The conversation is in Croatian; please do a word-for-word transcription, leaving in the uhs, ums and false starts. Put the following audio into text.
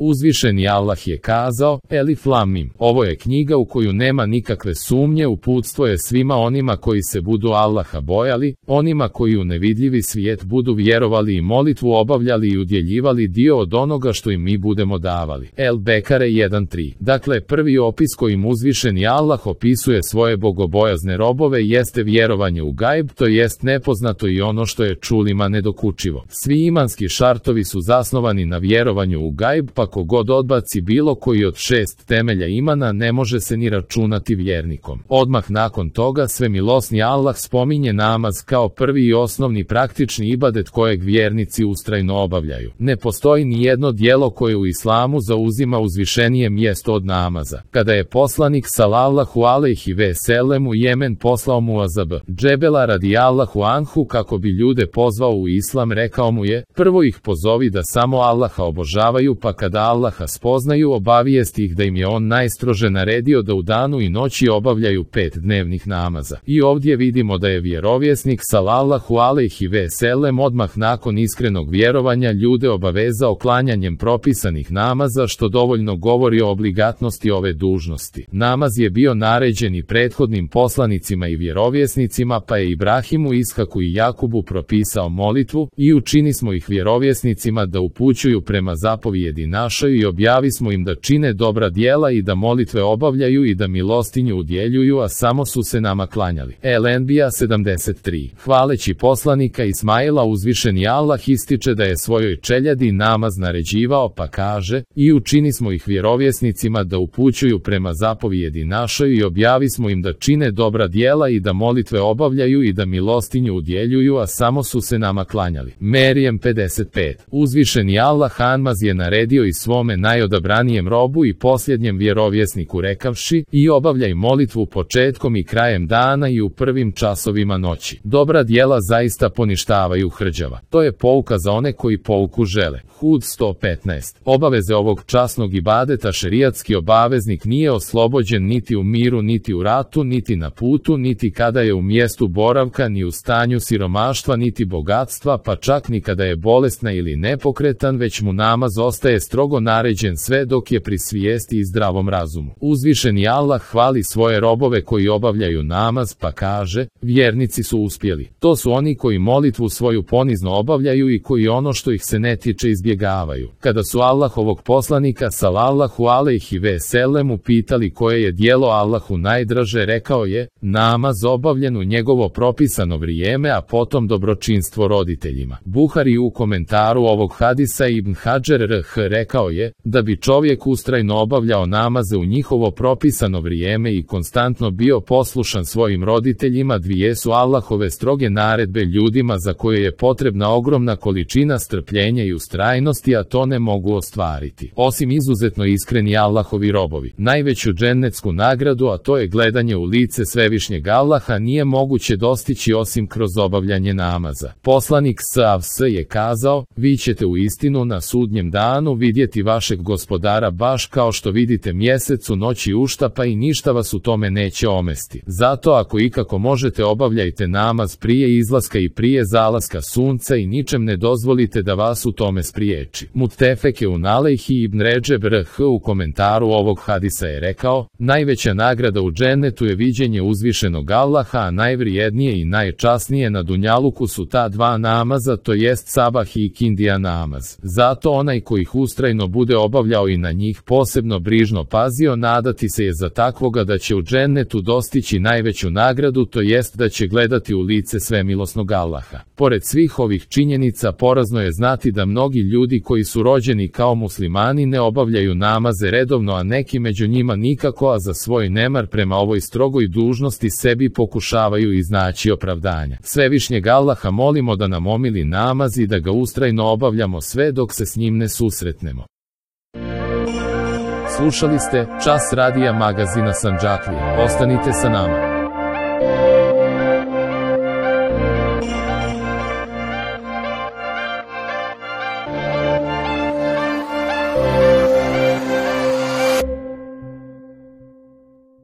Uzvišeni Allah je kazao, Elif Lam Mim. Ovo je knjiga u koju nema nikakve sumnje, uputstvo je svima onima koji se budu Allaha bojali, onima koji u nevidljivi svijet budu vjerovali i molitvu obavljali i udjeljivali dio od onoga što im mi budemo davali. El Bekare jedan tri. Dakle, prvi opis kojim uzvišeni Allah opisuje svoje bogobojazne robove jeste vjerovanje u gajb, to jest nepoznato i ono što je čulima nedokučivo. Svi imanski šartovi su zasnovani na vjerovanju u gajb, pa kogod odbaci bilo koji od šest temelja imana ne može se ni računati vjernikom. Odmah nakon toga svemilosni Allah spominje namaz kao prvi i osnovni praktični ibadet kojeg vjernici ustrajno obavljaju. Ne postoji ni jedno djelo koje u islamu zauzima uzvišenije mjesto od namaza. Kada je poslanik sallallahu alejhi ve sellem u Jemen poslao Muazab Džebela radijallahu anhu kako bi ljude pozvao u islam, rekao mu je, prvo ih pozovi da samo Allaha obožavaju, pa kada Allaha spoznaju obavijesti ih da im je on najstrože naredio da u danu i noći obavljaju pet dnevnih namaza. I ovdje vidimo da je vjerovjesnik sallallahu alejhi ve sellem odmah nakon iskrenog vjerovanja ljude obavezao klanjanjem propisanih namaza, što dovoljno govori o obligatnosti ove dužnosti. Namaz je bio naređen i prethodnim poslanicima i vjerovjesnicima, pa je Ibrahimu, Ishaku i Jakubu propisao molitvu i učini smo ih vjerovjesnicima da upućuju prema zapovjedi našoj i objavi smo im da čine dobra djela i da molitve obavljaju i da milostinju udjeljuju, a samo su se nama klanjali. El Enbija sedamdeset tri. Hvaleći poslanika Ismaila, uzvišeni Allah ističe da je svojoj čeljadi namaz naređivao, pa kaže, i učini smo ih vjerovjesnicima da upućuju prema zapovjedi našoj i objavi smo im da čine dobra djela i da molitve obavljaju i da milostinju udjeljuju, a samo su se nama klanjali. Merijem pedeset pet. Uzvišeni Allah Hanmaz je naredio i svome najodabranijem robu i posljednjem vjerovjesniku rekavši, i obavljaj molitvu početkom i krajem dana i u prvim časovima noći. Dobra djela zaista poništavaju hrđava. To je pouka za one koji pouku žele. Hud sto petnaest. Obaveze ovog časnog ibadeta šerijatski obaveznik nije oslobođen niti u miru, niti u ratu, niti na putu, niti kada je u mjestu boravka, ni u stanju siromaštva, niti bogatstva, pa čak ni kada je bolesna ili nepokretan, već mu namaz ostaje strogo naređen sve dok je pri svijesti i zdravom razumu. Uzvišeni Allah hvali svoje robove koji obavljaju namaz, pa kaže, vjernici su uspjeli. To su oni koji molitvu svoju ponizno obavljaju i koji ono što ih se ne tiče izbjegavaju. Kada su Allahovog poslanika sallallahu alejhi ve sellem upitali koje je djelo Allahu najdraže, rekao je, namaz obavljen u njegovo propisano vrijeme, a potom dobročinstvo roditeljima. Buhari u komentaru ovog hadisa Ibn Hadžer R H rekao je, da bi čovjek ustrajno obavljao namaze u njihovo propisano vrijeme i konstantno bio poslušan svojim roditeljima, dvije su Allahove stroge naredbe ljudima za koje je potrebna ogromna količina strpljenja i ustrajnosti, a to ne mogu ostvariti osim izuzetno iskreni Allahovi robovi. Najveću džennetsku nagradu, a to je gledanje u lice svevišnjeg Allaha, nije moguće dostići osim kroz obavljanje namaza. Poslanik sallallahu alejhi ve sellem je kazao, vi ćete u istinu na sudnjem danu vidjeti vašeg gospodara baš kao što vidite mjesec u noći uštapa i ništa vas u tome neće omesti. Zato ako ikako možete obavljajte namaz prije izlaska i prije zalaska sunca i ničem ne dozvolite da vas u tome spriječi. Muttefeke un alejhi. Ibn Redžeb R H u komentaru ovog hadisa je rekao, najveća nagrada u džennetu je viđenje uzvišenog Allaha, a najvrijednije i najčasnije na dunjaluku su ta dva namaza, to jest sabah i kindija namaz. Zato onaj koji ih ustrajno bude obavljao i na njih posebno brižno pazio, nadati se je za takvoga da će u džennetu dostići najveću nagradu, to jest da će gledati u lice svemilosnog Allaha. Pored svih ovih činjenica, porazno je znati da mnogi ljudi koji su rođeni kao muslimani ne obavljaju namaze redovno, a neki među njima nikako, a za svoj nemar prema ovoj strogoj dužnosti sebi pokušavaju iznaći opravdanja. Svevišnjeg Allaha molimo da nam omili namaz i da ga ustrajno obavljamo sve dok se s njim ne susretnemo. Slušali ste Čas radija magazina Sandžaklija. Ostanite sa nama.